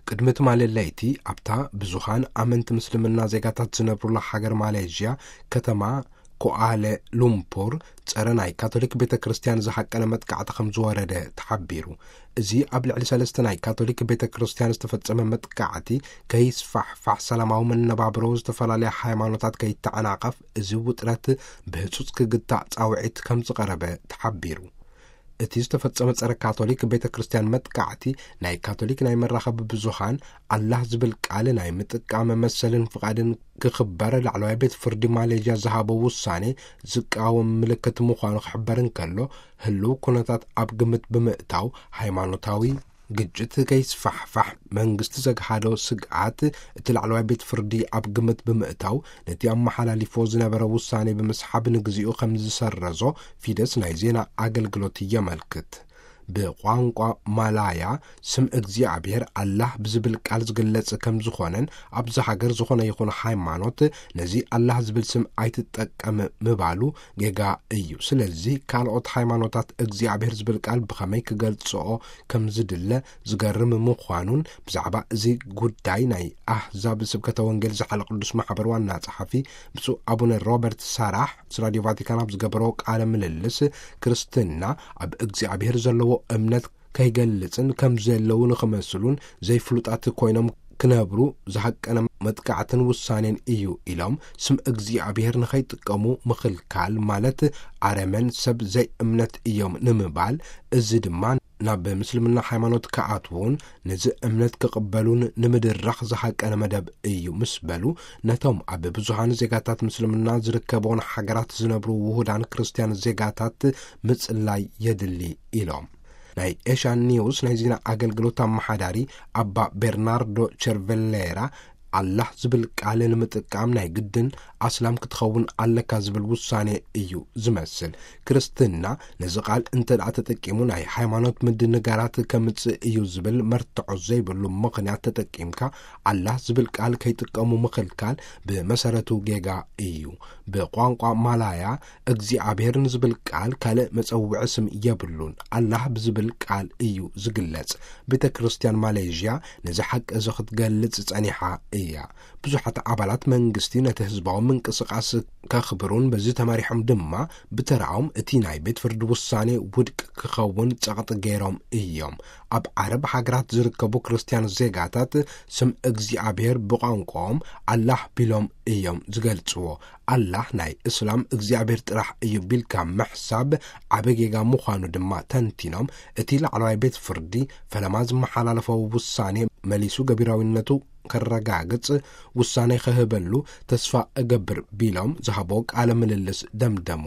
ቅድሚ ትማሊ ለይቲ ኣብታ ብዙሃን ኣመንቲ ምስልምና ዜጋታት ዝነብሩላ ሃገር ማሌዥያ፣ ከተማ ኮኣለ ሉምፑር፣ ጸረ ናይ ካቶሊክ ቤተ ክርስቲያን ዝሃቀነ መጥቃዕቲ ከም ዝወረደ ተሓቢሩ። እዚ ኣብ ልዕሊ ሰለስተ ናይ ካቶሊክ ቤተ ክርስቲያን ዝተፈጸመ መጥቃዕቲ፣ ከይስፋሕፋሕ፣ ሰላማዊ መነባብሮ ዝተፈላለያ ሃይማኖታት ከይተዓናቐፍ፣ እዚ ውጥረት ብህጹጽ ክግታእ ጻውዒት ከም ዝቐረበ ተሓቢሩ። እቲ ዝተፈጸመ ጸረ ካቶሊክ ቤተ ክርስቲያን መጥቃዕቲ፣ ናይ ካቶሊክ ናይ መራኸቢ ብዙሃን ኣላህ ዝብል ቃል ናይ ምጥቃም መሰልን ፍቓድን ክኽበር ላዕለዋይ ቤት ፍርዲ ማሌዥያ ዝሃቦ ውሳኔ ዝቃወም ምልክት ምዃኑ ክሕበር እንከሎ፣ ህልው ኩነታት ኣብ ግምት ብምእታው፣ ሃይማኖታዊ ግጭት ከይስፋሕፋሕ መንግስቲ ዘግሃዶ ስግኣት እቲ ላዕለዋይ ቤት ፍርዲ ኣብ ግምት ብምእታው፣ ነቲ ኣመሓላሊፎ ዝነበረ ውሳኔ ብምስሓብ ንግዚኡ ከም ዝሰረዞ ፊደስ ናይ ዜና ኣገልግሎት የመልክት። ብቋንቋ ማላያ ስም እግዚኣብሔር ኣላህ ብዝብል ቃል ዝግለጽ ከም ዝኾነን፣ ኣብዚ ሃገር ዝኾነ ይኹን ሃይማኖት ነዚ ኣላህ ዝብል ስም ኣይትጠቀም ምባሉ ጌጋ እዩ። ስለዚ ካልኦት ሃይማኖታት እግዚኣብሔር ዝብል ቃል ብኸመይ ክገልጽኦ ከም ዝድለ ዝገርም ምዃኑን፣ ብዛዕባ እዚ ጉዳይ ናይ ኣህዛብ ስብከተ ወንጌል ዝሓለ ቅዱስ ማሕበር ዋና ጸሓፊ ብፁዕ ኣቡነ ሮበርት ሳራሕ ምስ ራድዮ ቫቲካን ኣብ ዝገበሮ ቃለ ምልልስ፣ ክርስትና ኣብ እግዚኣብሔር ዘለዎ እምነት ከይገልጽን ከም ዘለዉ ንኽመስሉን ዘይፍሉጣት ኮይኖም ክነብሩ ዝሃቀነ መጥቃዕትን ውሳኔን እዩ ኢሎም፣ ስም እግዚኣብሔር ንኸይጥቀሙ ምኽልካል ማለት ኣረመን ሰብ ዘይእምነት እዮም ንምባል፣ እዚ ድማ ናብ ምስልምና ሃይማኖት ክኣትዉን ነዚ እምነት ክቕበሉን ንምድራኽ ዝሃቀነ መደብ እዩ ምስ በሉ፣ ነቶም ኣብ ብዙሃን ዜጋታት ምስልምና ዝርከብዎን ሃገራት ዝነብሩ ውሁዳን ክርስትያን ዜጋታት ምጽላይ የድሊ ኢሎም። ናይ ኤሽያን ኒውስ ናይ ዜና ኣገልግሎት ኣመሓዳሪ ኣባ ቤርናርዶ ቸርቨሌራ፣ ኣላህ ዝብል ቃል ንምጥቃም ናይ ግድን ኣስላም ክትኸውን ኣለካ ዝብል ውሳኔ እዩ ዝመስል። ክርስትና ነዚ ቃል እንተ ደኣ ተጠቂሙ፣ ናይ ሃይማኖት ምድንጋራት ከምጽእ እዩ ዝብል መርትዖ ዘይብሉ ምኽንያት ተጠቂምካ፣ ኣላህ ዝብል ቃል ከይጥቀሙ ምኽልካል ብመሰረቱ ጌጋ እዩ። ብቋንቋ ማላያ እግዚኣብሔር ንዝብል ቃል ካልእ መጸውዒ ስም የብሉን። ኣላህ ብዝብል ቃል እዩ ዝግለጽ። ቤተ ክርስቲያን ማሌዥያ ነዚ ሓቂ እዚ ክትገልጽ ጸኒሓ እያ። ብዙሓት ኣባላት መንግስቲ ነቲ ህዝባዊ ምንቅስቃስ ከኽብሩን በዚ ተመሪሖም ድማ ብተራኦም እቲ ናይ ቤት ፍርዲ ውሳኔ ውድቅ ክኸውን ጸቕጢ ገይሮም እዮም። ኣብ ዓረብ ሃገራት ዝርከቡ ክርስትያን ዜጋታት ስም እግዚኣብሔር ብቋንቋኦም ኣላህ ቢሎም እዮም ዝገልጽዎ። ኣላህ ናይ እስላም እግዚኣብሔር ጥራሕ እዩ ቢልካ ምሕሳብ ዓቢ ጌጋ ምዃኑ ድማ ተንቲኖም፣ እቲ ላዕለዋይ ቤት ፍርዲ ፈለማ ዝመሓላለፎ ውሳኔ መሊሱ ገቢራዊነቱ ከረጋግጽ ውሳኔ ክህበሉ ተስፋ እገብር ቢሎም ዝሃቦ ቃለ ምልልስ ደምደሙ።